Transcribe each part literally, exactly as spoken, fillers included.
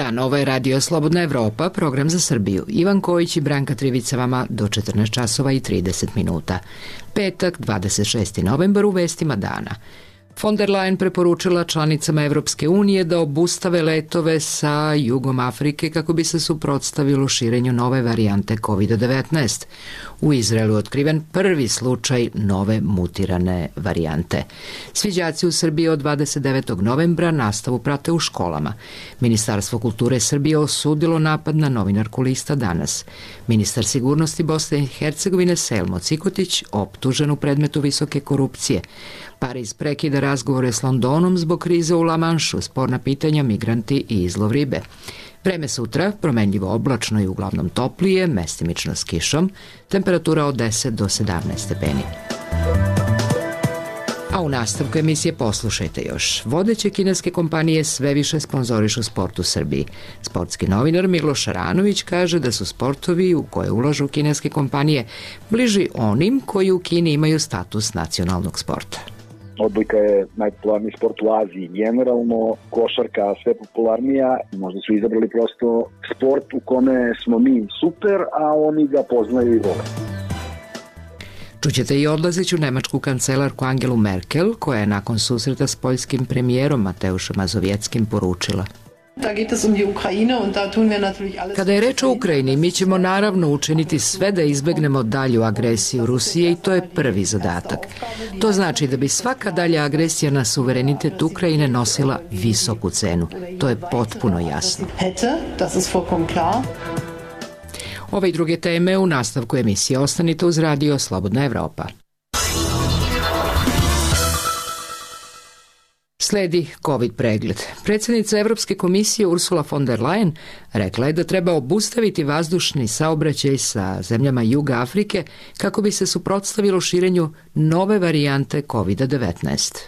dan, ovo je Radio Slobodna Evropa, program za Srbiju. Ivan Kojić i Branka Trivica vama do četrnaest časova i trideset minuta. Petak, dvadeset šesti novembar, u vestima dana. Von der Leyen preporučila članicama Evropske unije da obustave letove sa jugom Afrike kako bi se suprotstavilo širenju nove varijante kovid devetnaest. U Izraelu je otkriven prvi slučaj nove mutirane varijante. Svi đaci u Srbiji od dvadeset devetog novembra nastavu prate u školama. Ministarstvo kulture Srbije osudilo napad na novinarku Lista Danas. Ministar sigurnosti Bosne i Hercegovine Selmo Cikotić optužen u predmetu visoke korupcije. Pariz prekida razgovore s Londonom zbog krize u La Manšu, sporna pitanja, migranti i izlov ribe. Vreme sutra, promenljivo oblačno i uglavnom toplije, mestimično s kišom, temperatura od deset do sedamnaest stepeni. A u nastavku emisije poslušajte još. Vodeće kineske kompanije sve više sponzorišu sport u Srbiji. Sportski novinar Miloš Šaranović kaže da su sportovi u koje ulažu kineske kompanije bliži onim koji u Kini imaju status nacionalnog sporta. Odbojka je najpopularniji sport u Aziji, generalno košarka sve popularnija, možda su izabrali prosto sport u kome smo mi super, a oni ga poznaju i vole. Čućete i odlazeću nemačku kancelarku Angelu Merkel, koja je nakon susreta s poljskim premijerom Mateušem Mazovieckim poručila: Kada je reč o Ukrajini, mi ćemo naravno učiniti sve da izbegnemo dalju agresiju Rusije i to je prvi zadatak. To znači da bi svaka dalja agresija na suverenitet Ukrajine nosila visoku cenu. To je potpuno jasno. Ove i druge teme u nastavku emisije. Ostanite uz Radio Slobodna Evropa. Sledi COVID pregled. Predsjednica Evropske komisije Ursula von der Leyen rekla je da treba obustaviti vazdušni saobraćaj sa zemljama Juga Afrike kako bi se suprotstavilo širenju nove varijante kovid devetnaest.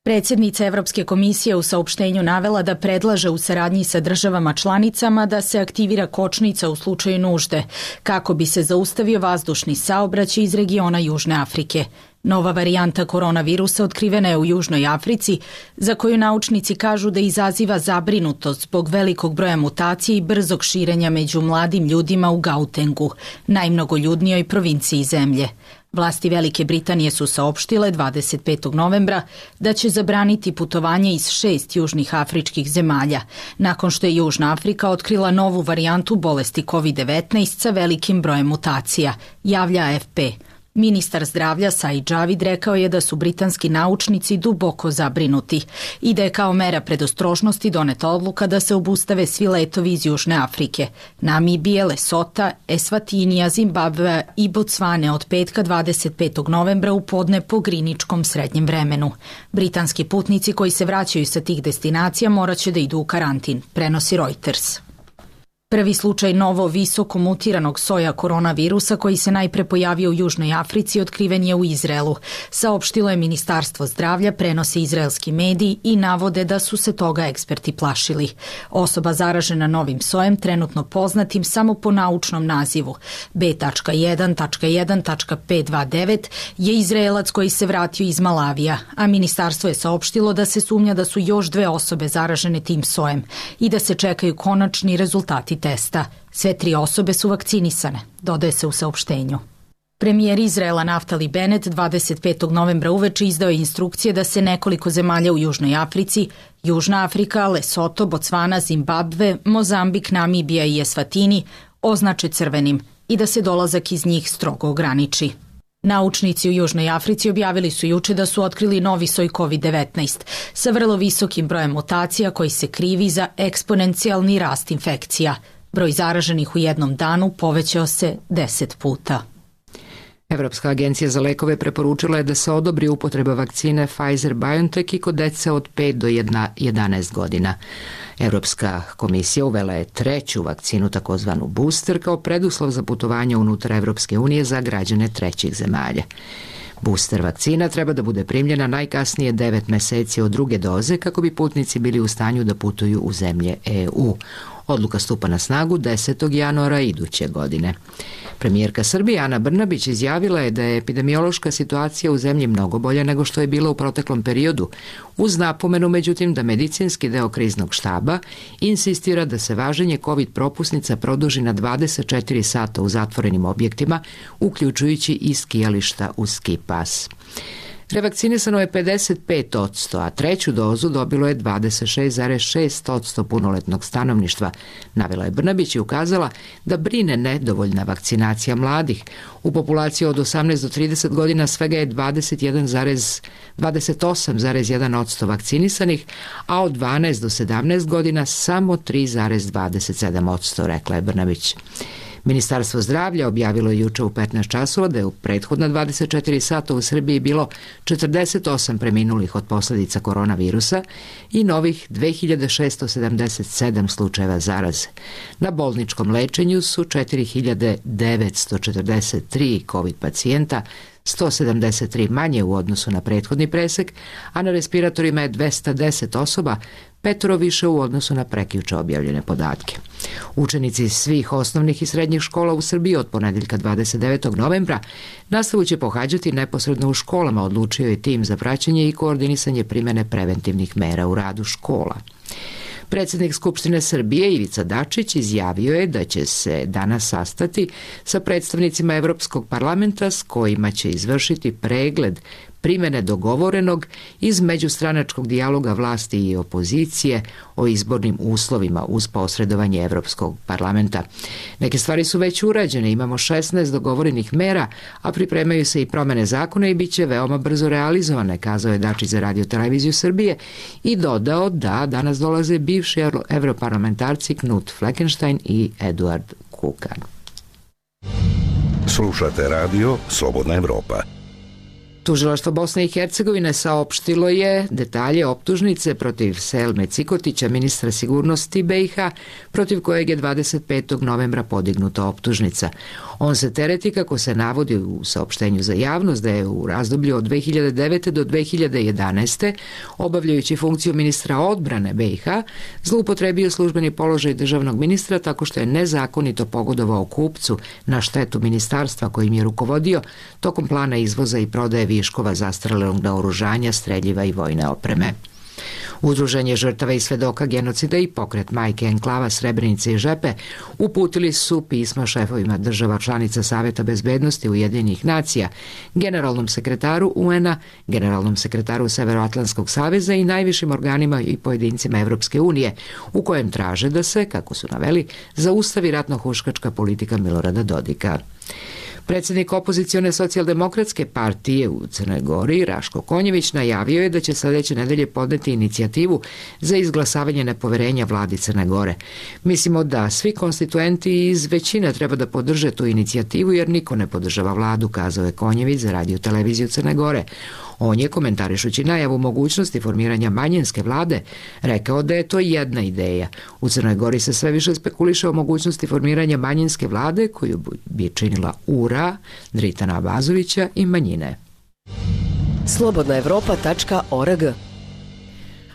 Predsjednica Evropske komisije u saopštenju navela da predlaže u saradnji sa državama članicama da se aktivira kočnica u slučaju nužde, kako bi se zaustavio vazdušni saobraćaj iz regiona Južne Afrike. Nova varijanta koronavirusa otkrivena je u Južnoj Africi, za koju naučnici kažu da izaziva zabrinutost zbog velikog broja mutacija i brzog širenja među mladim ljudima u Gautengu, najmnogoljudnijoj provinciji zemlje. Vlasti Velike Britanije su saopštile dvadeset petog novembra da će zabraniti putovanje iz šest južnih afričkih zemalja, nakon što je Južna Afrika otkrila novu varijantu bolesti kovid devetnaest sa velikim brojem mutacija, javlja A F P. Ministar zdravlja Said Javid rekao je da su britanski naučnici duboko zabrinuti i da je kao mera predostrožnosti doneta odluka da se obustave svi letovi iz Južne Afrike, Namibije, Lesota, Esvatinija, Zimbabvea i Bocvane od petka dvadeset petog novembra u podne po griničkom srednjem vremenu. Britanski putnici koji se vraćaju sa tih destinacija morat će da idu u karantin, prenosi Reuters. Prvi slučaj novo visoko mutiranog soja koronavirusa koji se najpre pojavio u Južnoj Africi otkriven je u Izraelu. Saopštilo je Ministarstvo zdravlja, prenose izraelski mediji i navode da su se toga eksperti plašili. Osoba zaražena novim sojem, trenutno poznatim samo po naučnom nazivu B jedan jedan pet dva devet, je Izraelac koji se vratio iz Malavija, a ministarstvo je saopštilo da se sumnja da su još dve osobe zaražene tim sojem i da se čekaju konačni rezultati testa. Sve tri osobe su vakcinisane, dodaje se u saopštenju. Premijer Izraela Naftali Bennett dvadeset petog novembra uveče izdao je instrukcije da se nekoliko zemalja u Južnoj Africi, Južna Afrika, Lesoto, Bocvana, Zimbabve, Mozambik, Namibija i Esvatini označe crvenim i da se dolazak iz njih strogo ograniči. Naučnici u Južnoj Africi objavili su juče da su otkrili novi soj kovid devetnaest sa vrlo visokim brojem mutacija koji se krivi za eksponencijalni rast infekcija. Broj zaraženih u jednom danu povećao se deset puta. Evropska agencija za lekove preporučila je da se odobri upotreba vakcine Pfizer-BioNTech i kod dece od pet do jedanaest godina. Evropska komisija uvela je treću vakcinu, takozvanu booster, kao preduslov za putovanje unutar Evropske unije za građane trećih zemalja. Booster vakcina treba da bude primljena najkasnije devet meseci od druge doze kako bi putnici bili u stanju da putuju u zemlje E U. Odluka stupa na snagu desetog januara iduće godine. Premijerka Srbije Ana Brnabić izjavila je da je epidemiološka situacija u zemlji mnogo bolja nego što je bila u proteklom periodu, uz napomenu međutim da medicinski deo kriznog štaba insistira da se važenje COVID propusnica produži na dvadeset četiri sata u zatvorenim objektima, uključujući i skijališta uz ski pas. Revakcinisano je pedeset pet posto, a treću dozu dobilo je dvadeset šest zarez šest posto punoletnog stanovništva, navela je Brnabić i ukazala da brine nedovoljna vakcinacija mladih. U populaciji od osamnaest do trideset godina svega je dvadeset jedan zarez dvadeset osam zarez jedan posto vakcinisanih, a od dvanaest do sedamnaest godina samo tri zarez dvadeset sedam posto, rekla je Brnabić. Ministarstvo zdravlja objavilo je juče u petnaest časova da je u prethodna dvadeset četiri sata u Srbiji bilo četrdeset osam preminulih od posledica koronavirusa i novih dve hiljade šesto sedamdeset sedam slučajeva zaraze. Na bolničkom lečenju su četiri hiljade devetsto četrdeset tri COVID pacijenta, sto sedamdeset tri manje u odnosu na prethodni presek, a na respiratorima je dvesta deset osoba, petoro više u odnosu na prekjuče objavljene podatke. Učenici svih osnovnih i srednjih škola u Srbiji od ponedeljka dvadeset devetog novembra nastavu će pohađati neposredno u školama, odlučio je tim za praćenje i koordinisanje primene preventivnih mera u radu škola. Predsjednik Skupštine Srbije Ivica Dačić izjavio je da će se danas sastati sa predstavnicima Evropskog parlamenta s kojima će izvršiti pregled primene dogovorenog iz međustranačkog dijaloga vlasti i opozicije o izbornim uslovima uz posredovanje Evropskog parlamenta. Neke stvari su već urađene, imamo šesnaest dogovorenih mera, a pripremaju se i promene zakona i bit će veoma brzo realizovane, kazao je Dačić za Radio Televiziju Srbije i dodao da danas dolaze bivši evroparlamentarci Knut Fleckenstein i Eduard Kukan. Slušate radio Slobodna Evropa. Tužilaštvo Bosne i Hercegovine saopštilo je detalje optužnice protiv Selme Cikotića, ministra sigurnosti B i H, protiv kojeg je dvadeset petog novembra podignuta optužnica. On se tereti, kako se navodi u saopštenju za javnost, da je u razdoblju od dve hiljade devete do dve hiljade jedanaeste. obavljajući funkciju ministra odbrane B i H, zloupotrebio službeni položaj državnog ministra tako što je nezakonito pogodovao kupcu na štetu ministarstva kojim je rukovodio tokom plana izvoza i prodaje viškova zastarelog naoružanja, streljiva i vojne opreme. Udruženje žrtava i svedoka genocida i pokret Majke enklava Srebrenice i Žepe uputili su pisma šefovima država članica Saveta bezbednosti Ujedinjenih nacija, generalnom sekretaru U N-a, generalnom sekretaru Severoatlantskog saveza i najvišim organima i pojedincima Evropske unije, u kojem traže da se, kako su naveli, zaustavi ratno-huškačka politika Milorada Dodika. Predsjednik opozicione socijaldemokratske partije u Crnoj Gori, Raško Konjević, najavio je da će sledeće nedelje podneti inicijativu za izglasavanje nepoverenja vladi Crne Gore. Mislimo da svi konstituenti iz većine treba da podrže tu inicijativu jer niko ne podržava vladu, kazao je Konjević za Radio Televiziju Crne Gore. On je, komentarišući najavu mogućnosti formiranja manjinske vlade, rekao da je to jedna ideja. U Crnoj Gori se sve više spekuliše o mogućnosti formiranja manjinske vlade koju bi činila U R A, Dritana Abazovića i manjine. slobodna evropa tačka org.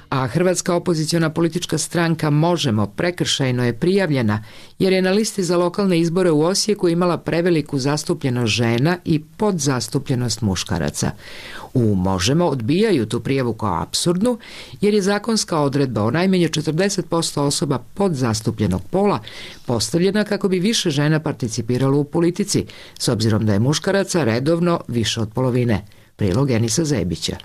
A hrvatska opoziciona politička stranka Možemo prekršajno je prijavljena jer je na listi za lokalne izbore u Osijeku imala preveliku zastupljenost žena i podzastupljenost muškaraca. U Možemo odbijaju tu prijavu kao apsurdnu jer je zakonska odredba o najmanje četrdeset posto osoba podzastupljenog pola postavljena kako bi više žena participiralo u politici, s obzirom da je muškaraca redovno više od polovine. Prilog Enisa Zebića.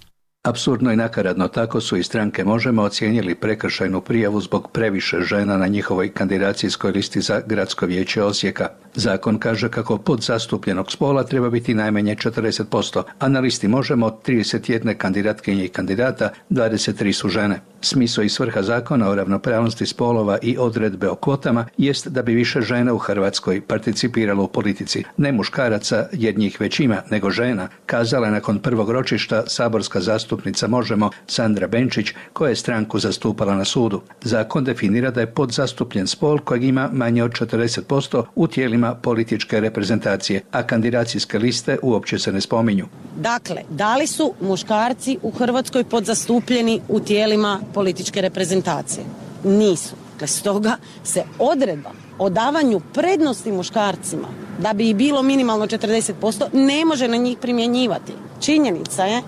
Apsurdno i nakaradno tako su i stranke Možemo ocijenili prekršajnu prijavu zbog previše žena na njihovoj kandidacijskoj listi za Gradsko vijeće Osijeka. Zakon kaže kako podzastupljenog spola treba biti najmanje četrdeset posto, a na listi Možemo od trideset jedne kandidatkinje i kandidata dvadeset tri su žene. Smisao i svrha zakona o ravnopravnosti spolova i odredbe o kvotama jest da bi više žena u Hrvatskoj participiralo u politici. Ne muškaraca, jer njih već ima, nego žena, kazala je nakon prvog ročišta saborska zastupnica Možemo Sandra Benčić, koja je stranku zastupala na sudu. Zakon definira da je podzastupljen spol kojeg ima manje od četrdeset posto u tijelima političke reprezentacije, a kandidacijske liste uopće se ne spominju. Dakle, da li su muškarci u Hrvatskoj podzastupljeni u tijelima političke reprezentacije? Nisu. Dakle, stoga se odredba o davanju prednosti muškarcima da bi ih bilo minimalno četrdeset posto, ne može na njih primjenjivati. Činjenica je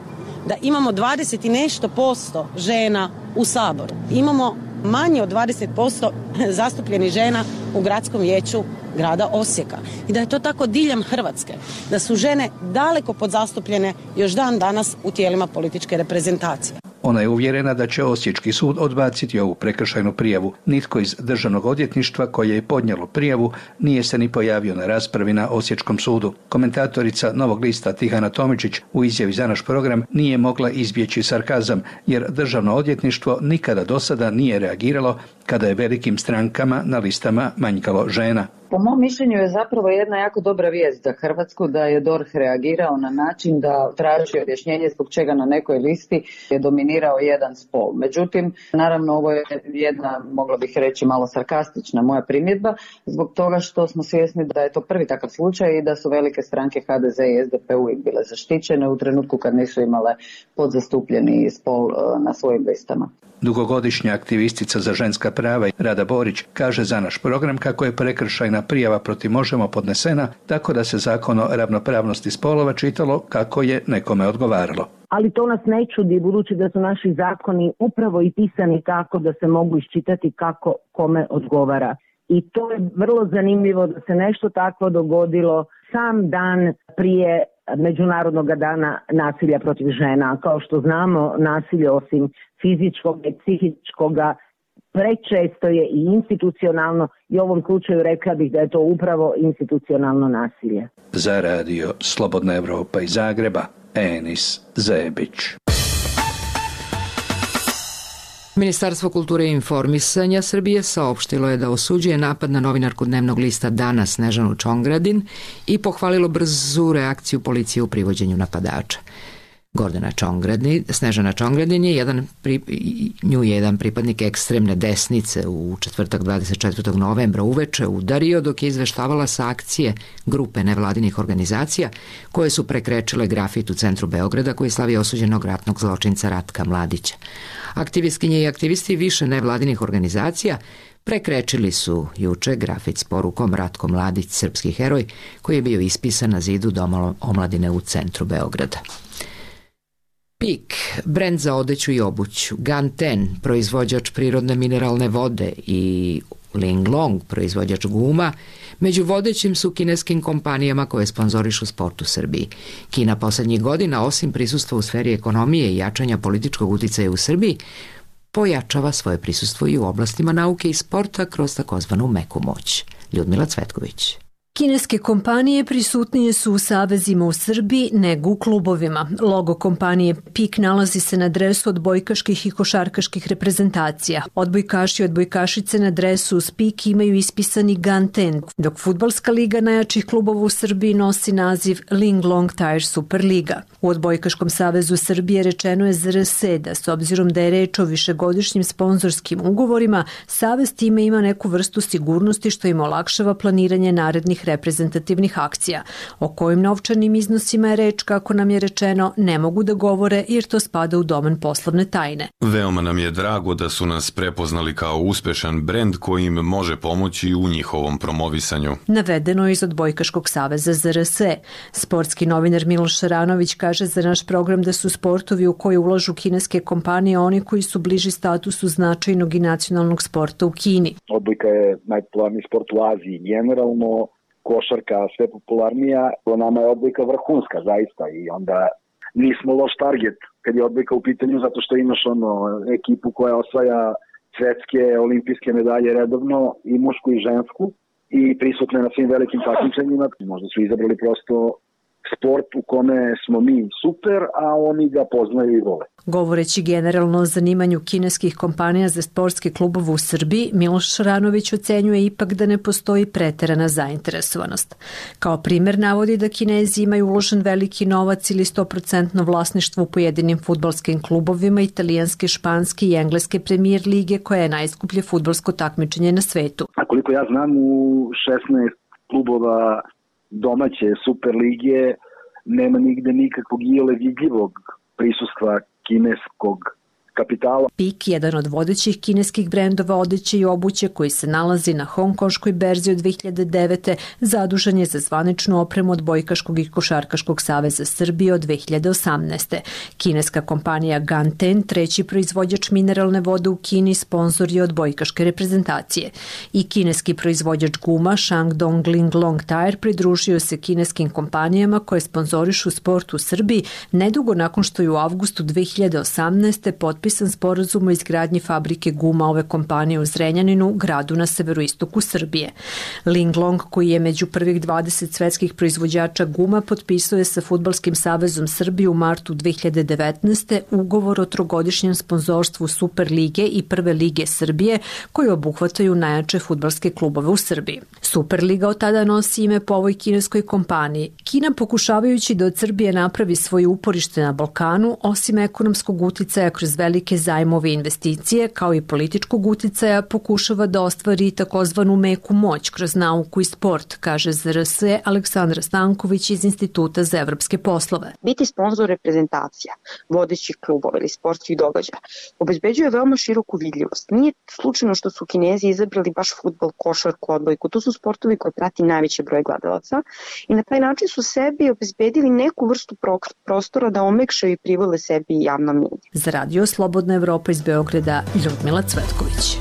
da imamo dvadeset i nešto posto žena u Saboru. Imamo manje od dvadeset posto zastupljenih žena u gradskom vijeću grada Osijeka. I da je to tako diljem Hrvatske. Da su žene daleko podzastupljene još dan danas u tijelima političke reprezentacije. Ona je uvjerena da će Osječki sud odbaciti ovu prekršajnu prijavu. Nitko iz Državnog odvjetništva koje je podnijelo prijavu nije se ni pojavio na raspravi na Osječkom sudu. Komentatorica Novog lista Tihana Tomičić u izjavi za naš program nije mogla izbjeći sarkazam, jer Državno odvjetništvo nikada do sada nije reagiralo kada je velikim strankama na listama manjkalo žena. Po mom mišljenju je zapravo jedna jako dobra vijest za Hrvatsku da je D O R H reagirao na način da traži objašnjenje zbog čega na nekoj listi je dominirao jedan spol. Međutim, naravno ovo je jedna, mogla bih reći, malo sarkastična moja primjedba zbog toga što smo svjesni da je to prvi takav slučaj i da su velike stranke H D Z i S D P uvijek bile zaštićene u trenutku kad nisu imale podzastupljeni spol na svojim listama. Dugogodišnja aktivistica za ženska prava Rada Borić kaže za naš program kako je prekršajna prijava protiv Možemo podnesena tako da se Zakon o ravnopravnosti spolova čitalo kako je nekome odgovaralo. Ali to nas ne čudi, budući da su naši zakoni upravo i pisani tako da se mogu iščitati kako kome odgovara. I to je vrlo zanimljivo da se nešto takvo dogodilo sam dan prije Međunarodnog dana nasilja protiv žena. Kao što znamo, nasilje osim fizičkog i psihičkog prečesto je i institucionalno i u ovom slučaju rekla bih da je to upravo institucionalno nasilje. Za radio Slobodna Evropa iz Zagreba, Enis Zebić. Ministarstvo kulture i informisanja Srbije saopštilo je da osuđuje napad na novinarku dnevnog lista Dana Snežanu Čongradin i pohvalilo brzu reakciju policije u privođenju napadača. Gordana Čongradin, Snežana Čongradin je jedan, nju je jedan pripadnik ekstremne desnice u četvrtak dvadeset četvrtog novembra uveče udario dok je izveštavala sa akcije grupe nevladinih organizacija koje su prekrečile grafit u centru Beograda koji slavi osuđenog ratnog zločinca Ratka Mladića. Aktivistkinje i aktivisti više nevladinih organizacija prekrečili su juče grafit s porukom Ratko Mladić, srpski heroj, koji je bio ispisan na zidu Doma omladine u centru Beograda. Pik, brend za odeću i obuću, Ganten, proizvođač prirodne mineralne vode i Linglong, proizvođač guma, među vodećim su kineskim kompanijama koje sponzorišu sport u Srbiji. Kina poslednjih godina, osim prisustva u sferi ekonomije i jačanja političkog uticaja u Srbiji, pojačava svoje prisustvo i u oblastima nauke i sporta kroz takozvanu meku moć. Ljudmila Cvetković. Kineske kompanije prisutnije su u savezima u Srbiji nego u klubovima. Logo kompanije PIK nalazi se na dresu odbojkaških i košarkaških reprezentacija. Odbojkaši i odbojkašice na dresu uz PIK imaju ispisani Ganten, dok fudbalska liga najjačih klubova u Srbiji nosi naziv Linglong Tire Superliga. U Odbojkaškom savezu Srbije rečeno je Z R S da s obzirom da je reč o višegodišnjim sponzorskim ugovorima, savez time ima neku vrstu sigurnosti što im olakšava planiranje narednih reprezentativnih akcija. O kojim novčanim iznosima je reč, kako nam je rečeno, ne mogu da govore jer to spada u domen poslovne tajne. Veoma nam je drago da su nas prepoznali kao uspešan brend koji im može pomoći u njihovom promovisanju. Navedeno je iz Odbojkaškog saveza Z R S. Sportski novinar Miloš Šaranović kaže za naš program da su sportovi u koje ulažu kineske kompanije oni koji su bliži statusu značajnog i nacionalnog sporta u Kini. Odbojka je najpopularniji sport u Aziji generalno, košarka sve popularnija, nama je odbojka vrhunska zaista i onda nismo loš target kad je odbojka u pitanju zato što imaš ono ekipu koja osvaja svetske olimpijske medalje redovno i mušku i žensku i prisutne na svim velikim takmičenjima. Možda su izabrali prosto sport u kome smo mi super, a oni ga poznaju i vole. Govoreći generalno o zanimanju kineskih kompanija za sportske klubove u Srbiji, Miloš Šaranović ocenjuje ipak da ne postoji preterana zainteresovanost. Kao primer navodi da Kinezi imaju uložen veliki novac ili sto posto vlasništvo u pojedinim fudbalskim klubovima italijanske, španske i engleske premijer lige koja je najskuplje fudbalsko takmičenje na svetu. A koliko ja znam, u šesnaest klubova domaće Super lige nema nigde nikakvog iole vidljivog prisustva kineskog kapitala. Pik, jedan od vodećih kineskih brendova odeće i obuće koji se nalazi na hongkonškoj berzi od dve hiljade devete. zadužen je za zvaničnu opremu odbojkaškog i košarkaškog saveza Srbije od dve hiljade osamnaeste. Kineska kompanija Ganten, treći proizvođač mineralne vode u Kini, sponzor je odbojkaške reprezentacije. I kineski proizvođač guma Shandong Linglong Tire pridružio se kineskim kompanijama koje sponzorišu sport u Srbiji nedugo nakon što je u avgustu dve hiljade osamnaeste. potpisan sporazum o izgradnji fabrike guma ove kompanije u Zrenjaninu, gradu na severoistoku Srbije. Linglong, koji je među prvih dvadeset svetskih proizvođača guma, potpisao je sa Fudbalskim savezom Srbije u martu dve hiljade devetnaeste. ugovor o trogodišnjem sponzorstvu Super lige i Prve lige Srbije, koji obuhvataju najjače fudbalske klubove u Srbiji. Superliga od tada nosi ime po ovoj kineskoj kompaniji. Kina, pokušavajući da od Srbije napravi svoje uporište na Balkanu, osim ekonomskog uticaja kroz velike zajmove i investicije, kao i političkog uticaja, pokušava da ostvari takozvanu meku moć kroz nauku i sport, kaže Z R S Aleksandra Stanković iz Instituta za evropske poslove. Biti sponzor reprezentacija, vodećih klubova ili sportskih događaja obezbeđuje veoma široku vidljivost. Nije slučajno što su Kinezi izabrali baš fudbal, košarku, odbojku. To su sportovi koje prati najveći broj gledalaca i na taj način su sebi obezbedili neku vrstu prostora da omekšaju i privole sebi javno mnjenje. Za radio Slobodna Evropa iz Beograda, Ljudmila Cvetković.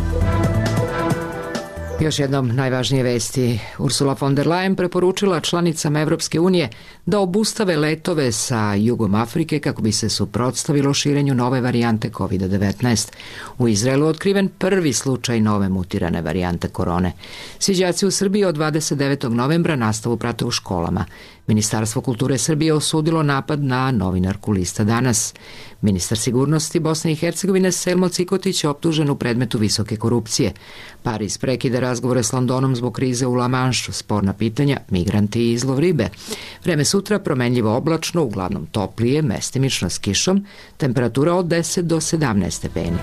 Još jednom najvažnije vesti. Ursula von der Leyen preporučila članicama Evropske unije da obustave letove sa jugom Afrike kako bi se suprotstavilo širenju nove varijante kovid devetnaest. U Izraelu otkriven prvi slučaj nove mutirane varijante korone. Svi đaci u Srbiji od dvadeset devetog novembra nastavu prate u školama. Ministarstvo kulture Srbije osudilo napad na novinarku Lista Danas. Ministar sigurnosti Bosne i Hercegovine Selmo Cikotić je optužen u predmetu visoke korupcije. Pariz prekida razgovore s Londonom zbog krize u La Manšu, sporna pitanja, migranti i izlov ribe. Vreme sutra promenljivo oblačno, uglavnom toplije, mestimično s kišom, temperatura od deset do sedamnaest stepeni.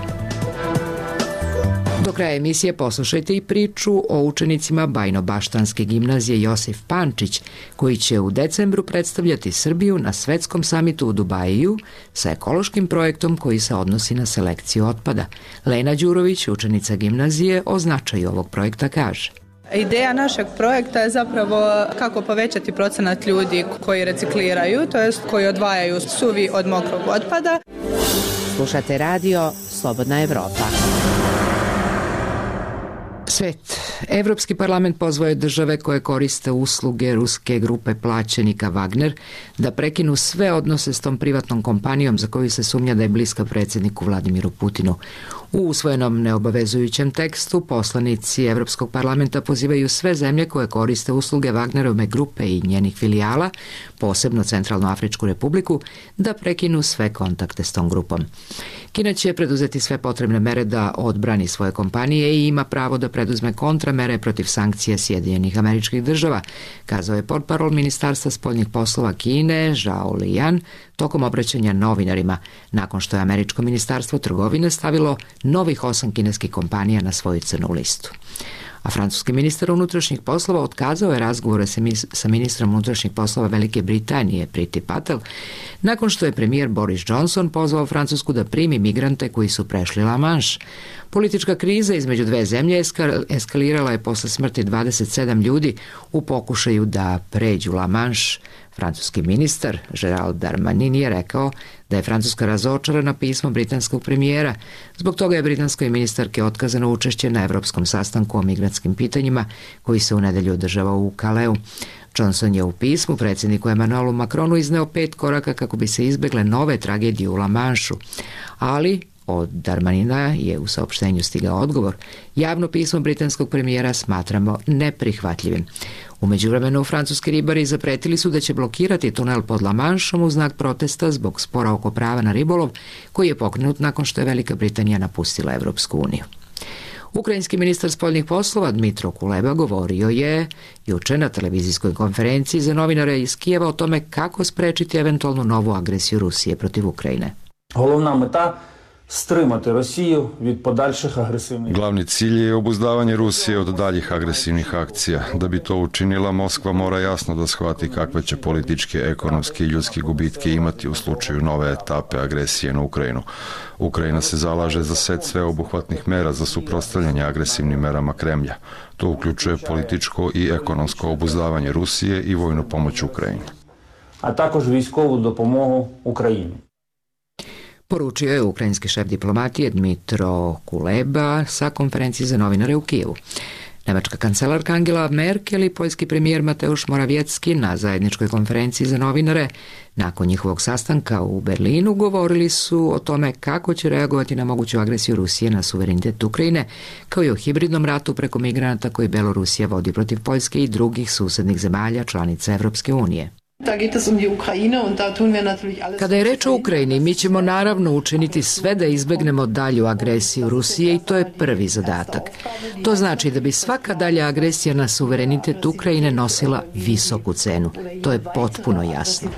Do kraja emisije poslušajte i priču o učenicima Bajno-Baštanske gimnazije Josif Pančić, koji će u decembru predstavljati Srbiju na svetskom samitu u Dubaju sa ekološkim projektom koji se odnosi na selekciju otpada. Lena Đurović, učenica gimnazije, o značaju ovog projekta kaže. Ideja našeg projekta je zapravo kako povećati procenat ljudi koji recikliraju, to jest koji odvajaju suvi od mokrog otpada. Slušate radio Slobodna Evropa. Svet. Evropski parlament pozvao je države koje koriste usluge ruske grupe plaćenika Wagner da prekinu sve odnose s tom privatnom kompanijom za koju se sumnja da je bliska predsjedniku Vladimiru Putinu. U usvojenom neobavezujućem tekstu poslanici Evropskog parlamenta pozivaju sve zemlje koje koriste usluge Wagnerove grupe i njenih filijala, posebno Centralnoafričku republiku, da prekinu sve kontakte s tom grupom. Kina će preduzeti sve potrebne mere da odbrani svoje kompanije i ima pravo da preduzme kontramere protiv sankcija Sjedinjenih Američkih Država, kazao je portparol Ministarstva spoljnih poslova Kine Zhao Lijan tokom obraćanja novinarima, nakon što je Američko ministarstvo trgovine stavilo novih osam kineskih kompanija na svoju crnu listu. A francuski ministar unutrašnjih poslova otkazao je razgovore sa ministrom unutrašnjih poslova Velike Britanije Priti Patel, nakon što je premijer Boris Johnson pozvao Francusku da primi migrante koji su prešli La Manche. Politička kriza između dve zemlje eskalirala je posle smrti dvadeset sedam ljudi u pokušaju da pređu La Manche. Francuski ministar Gérald Darmanin je rekao da je Francuska razočarana pismom britanskog premijera. Zbog toga je britanskoj ministarki otkazano učešće na evropskom sastanku o migrantskim pitanjima koji se u nedelju održava u Kaleu. Johnson je u pismu predsjedniku Emmanuelu Macronu izneo pet koraka kako bi se izbegle nove tragedije u La Mancheu, ali od Darmanina je u saopštenju stigao odgovor. Javno pismo britanskog premijera smatramo neprihvatljivim. U međuvremenu, francuski ribari zapretili su da će blokirati tunel pod La Mancheom u znak protesta zbog spora oko prava na ribolov, koji je pokrenut nakon što je Velika Britanija napustila Evropsku uniju. Ukrajinski ministar spoljnih poslova Dmitro Kuleba govorio je juče na televizijskoj konferenciji za novinare iz Kijeva o tome kako sprečiti eventualnu novu agresiju Rusije protiv Ukrajine. Головна мета strimati Rosiju від подальших агресивних. Glavni cilj je obuzdavanje Rusije od daljih agresivnih akcija. Da bi to učinila, Moskva mora jasno da shvati kakve će političke, ekonomske i ljudske gubitke imati u slučaju nove etape agresije na Ukrajinu. Ukrajina se zalaže za set sveobuhvatnih mera za suprotstavljanje agresivnim merama Kremlja. To uključuje političko i ekonomsko obuzdavanje Rusije i vojnu pomoć Ukrajini. А також військову допомогу Україні. Poručio je ukrajinski šef diplomatije Dmitro Kuleba sa konferencije za novinare u Kijevu. Nemačka kancelarka Angela Merkel i poljski premijer Mateusz Morawiecki na zajedničkoj konferenciji za novinare nakon njihovog sastanka u Berlinu govorili su o tome kako će reagovati na moguću agresiju Rusije na suverenitet Ukrajine, kao i o hibridnom ratu preko migranata koji Belorusija vodi protiv Poljske i drugih susednih zemalja članica Evropske unije. Kada je reč o Ukrajini, mi ćemo naravno učiniti sve da izbegnemo dalju agresiju Rusije i to je prvi zadatak. To znači da bi svaka dalja agresija na suverenitet Ukrajine nosila visoku cenu. To je potpuno jasno.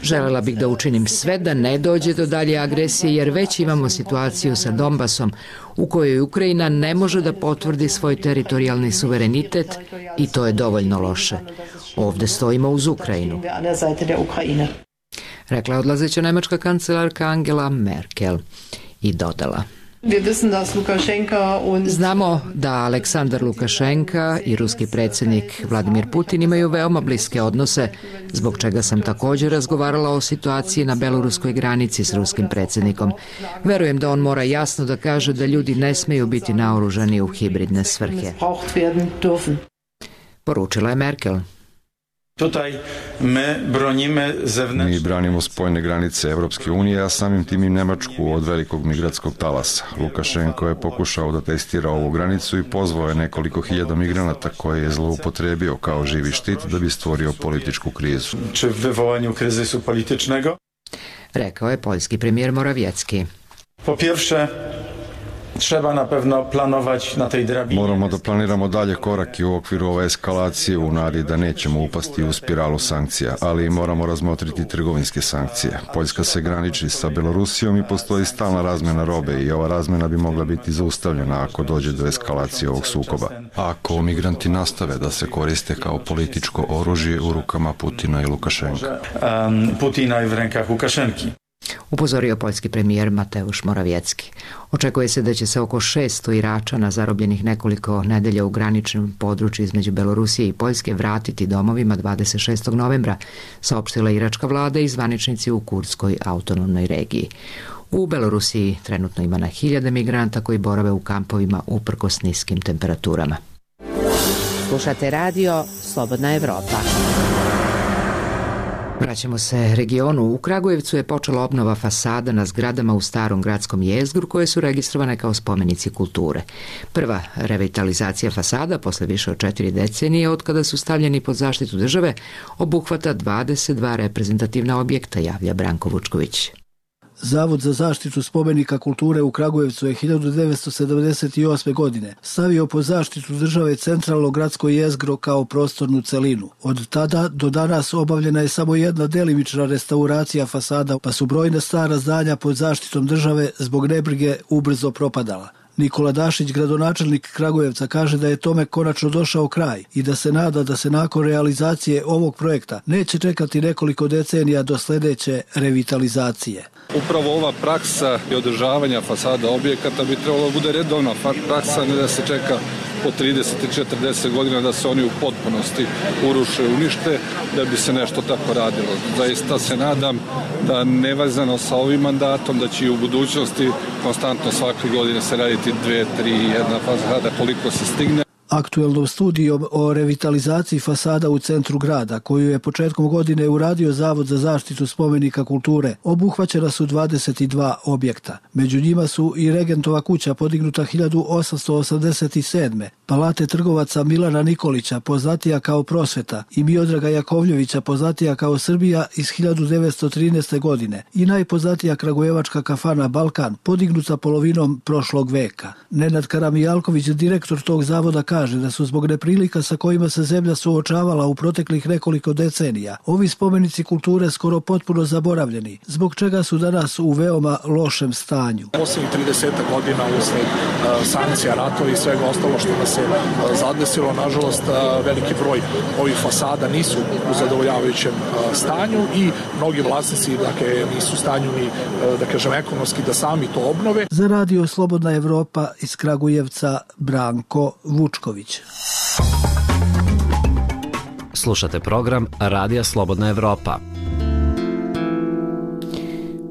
Želela bih da učinim sve da ne dođe do dalje agresije jer već imamo situaciju sa Donbasom u kojoj Ukrajina ne može da potvrdi svoj teritorijalni suverenitet i to je dovoljno loše. Ovde stojimo uz Ukrajinu, rekla je odlazeća nemačka kancelarka Angela Merkel i dodala. Znamo da Aleksandar Lukašenka i ruski predsjednik Vladimir Putin imaju veoma bliske odnose, zbog čega sam također razgovarala o situaciji na beloruskoj granici s ruskim predsjednikom. Verujem da on mora jasno da kaže da ljudi ne smeju biti naoružani u hibridne svrhe. Poručila je Merkel. Mi branimo spoljne granice Evropske unije, a samim tim i Nemačku od velikog migratskog talasa. Lukašenko je pokušao da testira ovu granicu i pozvao je nekoliko hiljada migranata koje je zloupotrebio kao živi štit da bi stvorio političku krizu. Či v vyvolaniu kryzysu politycznego? Rekao je poljski premijer Morawiecki. Po pierwsze, treba na pewno planować na tej drabini. Moramo da planiramo dalje korake u okviru ove eskalacije u nadi da nećemo upasti u spiralu sankcija, ali moramo razmotriti trgovinske sankcije. Poljska se graniči sa Belorusijom i postoji stalna razmena robe i ova razmena bi mogla biti zaustavljena ako dođe do eskalacije ovog sukoba. Ako migranti nastave da se koriste kao političko oružje u rukama Putina i Lukašenka. Um, Putina i v rękach Łukaszenki. Upozorio poljski premijer Mateusz Morawiecki. Očekuje se da će se oko šesto Iračana zarobljenih nekoliko nedelja u graničnom području između Belorusije i Poljske vratiti domovima dvadeset šestog novembra, saopštila iračka vlada i zvaničnici u Kurskoj autonomnoj regiji. U Belorusiji trenutno ima na hiljade migranta koji borave u kampovima uprkos niskim temperaturama. Slušate radio Slobodna Evropa. Vraćamo se regionu. U Kragujevcu je počela obnova fasada na zgradama u starom gradskom jezgru koje su registrovane kao spomenici kulture. Prva revitalizacija fasada posle više od četiri decenije od kada su stavljeni pod zaštitu države obuhvata dvadeset dva reprezentativna objekta, javlja Branko Vučković. Zavod za zaštitu spomenika kulture u Kragujevcu je hiljadu devetsto sedamdeset osme. godine stavio pod zaštitu države centralno gradsko jezgro kao prostornu celinu. Od tada do danas obavljena je samo jedna delimična restauracija fasada, pa su brojna stara zdanja pod zaštitom države zbog nebrige ubrzo propadala. Nikola Dašić, gradonačelnik Kragujevca, kaže da je tome konačno došao kraj i da se nada da se nakon realizacije ovog projekta neće čekati nekoliko decenija do sledeće revitalizacije. Upravo ova praksa i održavanja fasada objekata bi trebalo da bude redovna praksa, ne da se čeka po trideset i četrdeset godina da se oni u potpunosti uruše, unište, da bi se nešto tako radilo. Zaista se nadam da nevezano sa ovim mandatom, da će i u budućnosti konstantno svake godine se raditi dve, tri, jedna fasada koliko se stigne. Aktuelnom studijom o revitalizaciji fasada u centru grada, koju je početkom godine uradio Zavod za zaštitu spomenika kulture, obuhvaćena su dvadeset dva objekta. Među njima su i Regentova kuća podignuta hiljadu osamsto osamdeset sedme. Palate trgovaca Milana Nikolića, poznatija kao Prosveta, i Miodraga Jakovljevića, poznatija kao Srbija, iz hiljadu devetsto trinaeste. godine i najpoznatija kragujevačka kafana Balkan, podignuta polovinom prošlog veka. Nenad Karamijalković, direktor tog zavoda, kaže kaže da su zbog neprilika sa kojima se zemlja suočavala u proteklih nekoliko decenija ovi spomenici kulture skoro potpuno zaboravljeni, zbog čega su danas u veoma lošem stanju. Posljednjih trideset godina usled uh, sankcija, ratova i svega ostalo što nas se uh, zadesilo, nažalost uh, veliki broj ovih fasada nisu u zadovoljavajućem uh, stanju i mnogi vlasnici dakle, nisu u stanju ni uh, da kažem ekonomski da sami to obnove. Za radio Slobodna Evropa iz Kragujevca Branko Vučković. Slušate program Radija Slobodna Evropa.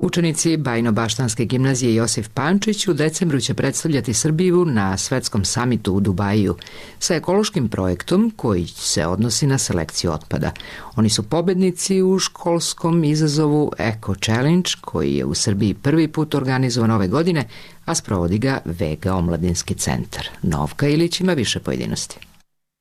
Učenici Bajno-Baštanske gimnazije Josif Pančić u decembru će predstavljati Srbiju na svetskom samitu u Dubaju sa ekološkim projektom koji se odnosi na selekciju otpada. Oni su pobednici u školskom izazovu Eco Challenge koji je u Srbiji prvi put organizovan ove godine, a sprovodi ga Vega omladinski centar. Novka Ilić ima više pojedinosti.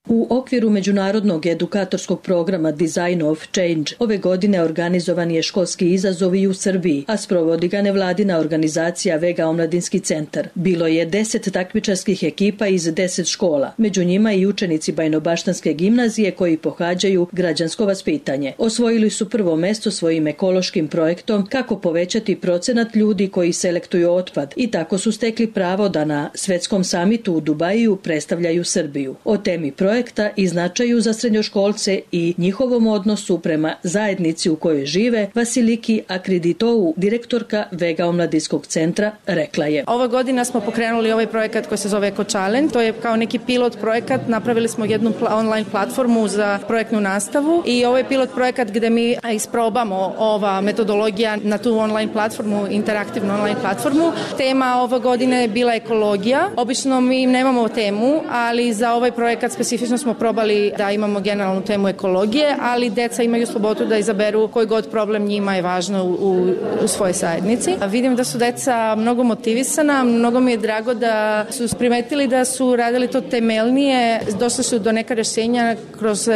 U okviru međunarodnog edukatorskog programa Design of Change ove godine organizovan je školski izazov i u Srbiji, a sprovodi ga nevladina organizacija Vega omladinski centar. Bilo je deset takmičarskih ekipa iz deset škola, među njima i učenici Bajno-Baštanske gimnazije koji pohađaju građansko vaspitanje. Osvojili su prvo mesto svojim ekološkim projektom kako povećati procenat ljudi koji selektuju otpad i tako su stekli pravo da na svetskom samitu u Dubaju predstavljaju Srbiju. O temi projekta i značaju za srednjoškolce i njihovom odnosu prema zajednici u kojoj žive, Vasiliki Akriditovu, direktorka Vega omladinskog centra, rekla je. Ova godina smo pokrenuli ovaj projekat koji se zove Eco Challenge. To je kao neki pilot projekat. Napravili smo jednu online platformu za projektnu nastavu i ovo je pilot projekat gde mi isprobamo ova metodologija na tu online platformu, interaktivnu online platformu. Tema ove godine je bila ekologija. Obično mi nemamo temu, ali za ovaj projekat specifično smo probali da imamo generalnu temu ekologije, ali deca imaju slobodu da izaberu koji god problem njima je važno u, u, u svojoj zajednici. Vidim da su deca mnogo motivisana, mnogo mi je drago da su primetili da su radili to temeljnije, došli su do neka rešenja kroz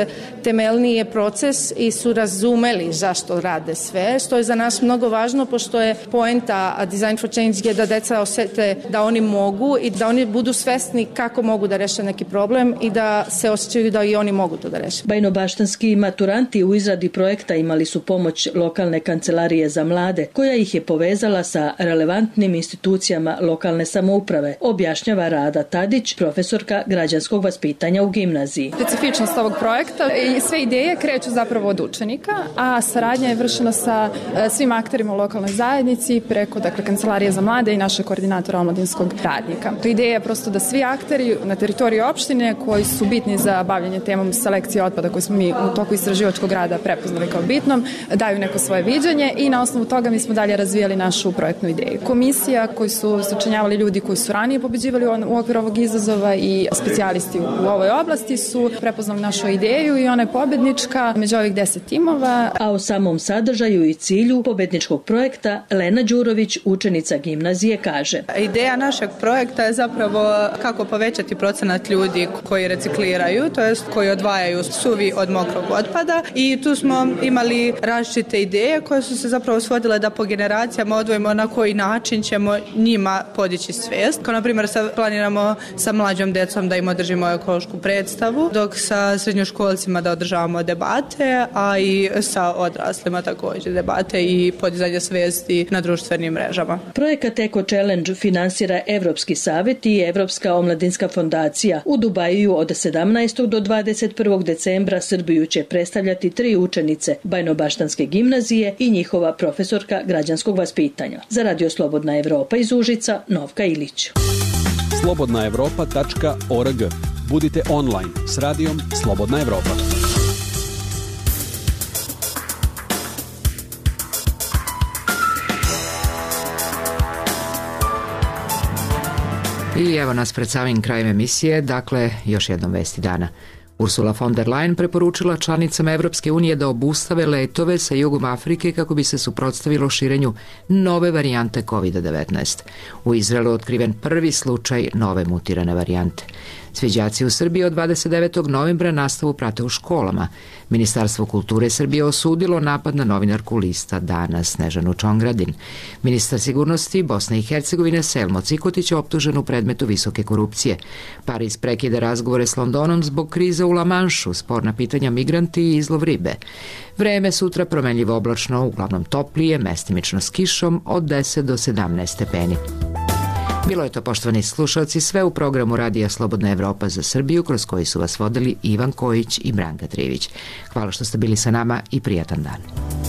temeljnije proces i su razumeli zašto rade sve, što je za nas mnogo važno, pošto je poenta Design for Change je da deca osete da oni mogu i da oni budu svesni kako mogu da reše neki problem i da se osjećaju da i oni mogu to da reše. Bajno-baštanski maturanti u izradi projekta imali su pomoć lokalne kancelarije za mlade, koja ih je povezala sa relevantnim institucijama lokalne samouprave, objašnjava Rada Tadić, profesorka građanskog vaspitanja u gimnaziji. Specifičnost ovog projekta i sve ideje kreću zapravo od učenika, a saradnja je vršena sa svim akterima u lokalnoj zajednici preko dakle, kancelarije za mlade i naše koordinatora omladinskog radnika. To ideja je prosto da svi akteri na teritoriji opštine koji su bitni za bavljanje temom selekcije otpada koju smo mi u toku istraživačkog rada prepoznali kao bitnom, daju neko svoje viđenje i na osnovu toga mi smo dalje razvijali našu projektnu ideju. Komisija koju su sačinjavali ljudi koji su ranije pobeđivali u okviru ovog izazova i specijalisti u ovoj oblasti su prepoznali našu ideju i ona je pobednička među ovih deset timova. A o samom sadržaju i cilju pobedničkog projekta Lena Đurović, učenica gimnazije, kaže. Ideja našeg projekta je zapravo kako povećati procenat ljudi koji recikliraju, to jest koji odvajaju suvi od mokrog otpada i tu smo imali različite ideje koje su se zapravo svodile da po generacijama odvojimo na koji način ćemo njima podići svijest. Kao na primjer planiramo sa mlađom decom da im održimo ekološku predstavu, dok sa srednjoškolcima da održavamo debate, a i sa odraslima također debate i podizanje svijesti na društvenim mrežama. Projekat Eco Challenge finansira Evropski savjet i Evropska omladinska fondacija. U Dubaju od sedamnaestog do dvadeset prvog decembra Srbiju će predstavljati tri učenice Bajno-baštanske gimnazije i njihova profesorka građanskog vaspitanja. Za Radio Slobodna Evropa iz Užica, Novka Ilić. slobodna evropa tačka org. Budite online s radijom Slobodna Evropa. I evo nas pred samim krajem emisije, dakle, još jednom vesti dana. Ursula von der Leyen preporučila članicama Evropske unije da obustave letove sa jugom Afrike kako bi se suprotstavilo širenju nove varijante kovid devetnaest. U Izraelu otkriven prvi slučaj nove mutirane varijante. Svi đaci u Srbiji od dvadeset devetog novembra nastavu prate u školama. Ministarstvo kulture Srbije osudilo napad na novinarku lista Dana Snežanu Čongradin. Ministar sigurnosti Bosne i Hercegovine Selmo Cikotić je optužen u predmetu visoke korupcije. Pariz prekida razgovore s Londonom zbog krize u La Manšu, sporna pitanja migranti i izlov ribe. Vreme sutra promenljivo oblačno, uglavnom toplije, mestimično s kišom od deset do sedamnaest stepeni. Bilo je to, poštovani slušalci, sve u programu Radija Slobodna Evropa za Srbiju, kroz koji su vas vodili Ivan Kojić i Branka Trivić. Hvala što ste bili sa nama i prijatan dan.